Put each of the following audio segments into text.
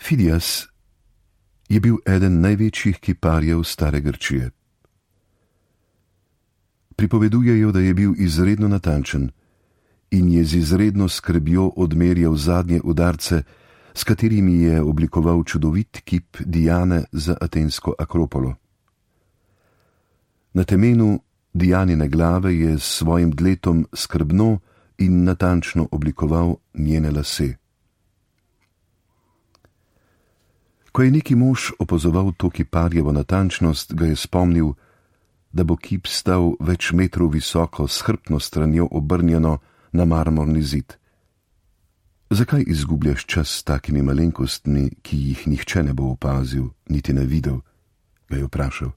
Fidias je bil eden največjih kiparjev stare Grčije. Pripovedujejo, da je bil izredno natančen in je z izredno skrbjo odmerjal zadnje udarce, s katerimi je oblikoval čudovit kip Diane za atensko Akropolo. Na temenu Dianine glave je s svojim dletom skrbno in natančno oblikoval njene lase. Ko je neki mož opazoval to kiparjevo natančnost, ga je spomnil, da bo kip stal več metrov visoko s hrbtno stranjo obrnjeno na marmorni zid. Zakaj izgubljaš čas s takimi malenkostmi, ki jih nihče ne bo opazil, niti ne videl, ga je vprašal.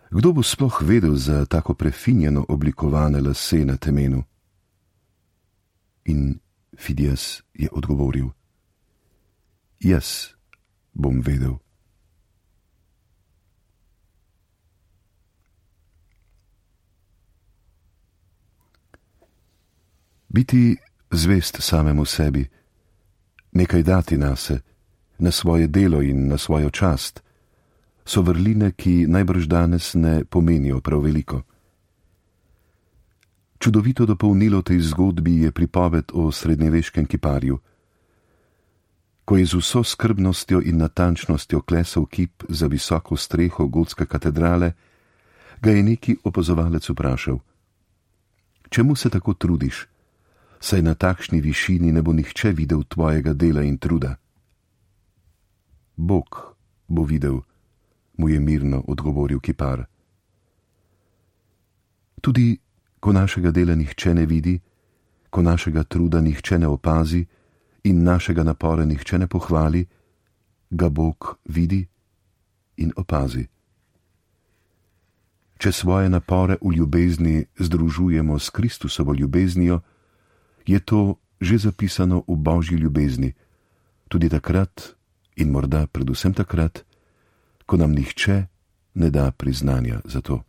Kdo bo sploh vedel za tako prefinjeno oblikovane lase na temenu? In Fidias je odgovoril: jaz bom vedel. Biti zvest samemu sebi, nekaj dati nase, na svoje delo in na svojo čast, so vrline, ki najbrž danes ne pomenijo prav veliko. Čudovito dopolnilo tej zgodbi je pripoved o srednjeveškem kiparju. Ko je z vso skrbnostjo in natančnostjo klesal kip za visoko streho gotske katedrale, ga je neki opazovalec vprašal: čemu se tako trudiš, saj na takšni višini ne bo nihče videl tvojega dela in truda? Bog bo videl, mu je mirno odgovoril kipar. Tudi ko našega dela nihče ne vidi, ko našega truda nihče ne opazi in našega napora nihče ne pohvali, ga Bog vidi in opazi. Če svoje napore v ljubezni združujemo s Kristusovo ljubeznijo, je to že zapisano v Božji ljubezni, tudi takrat in morda predvsem takrat, ko nam nihče ne da priznanja za to.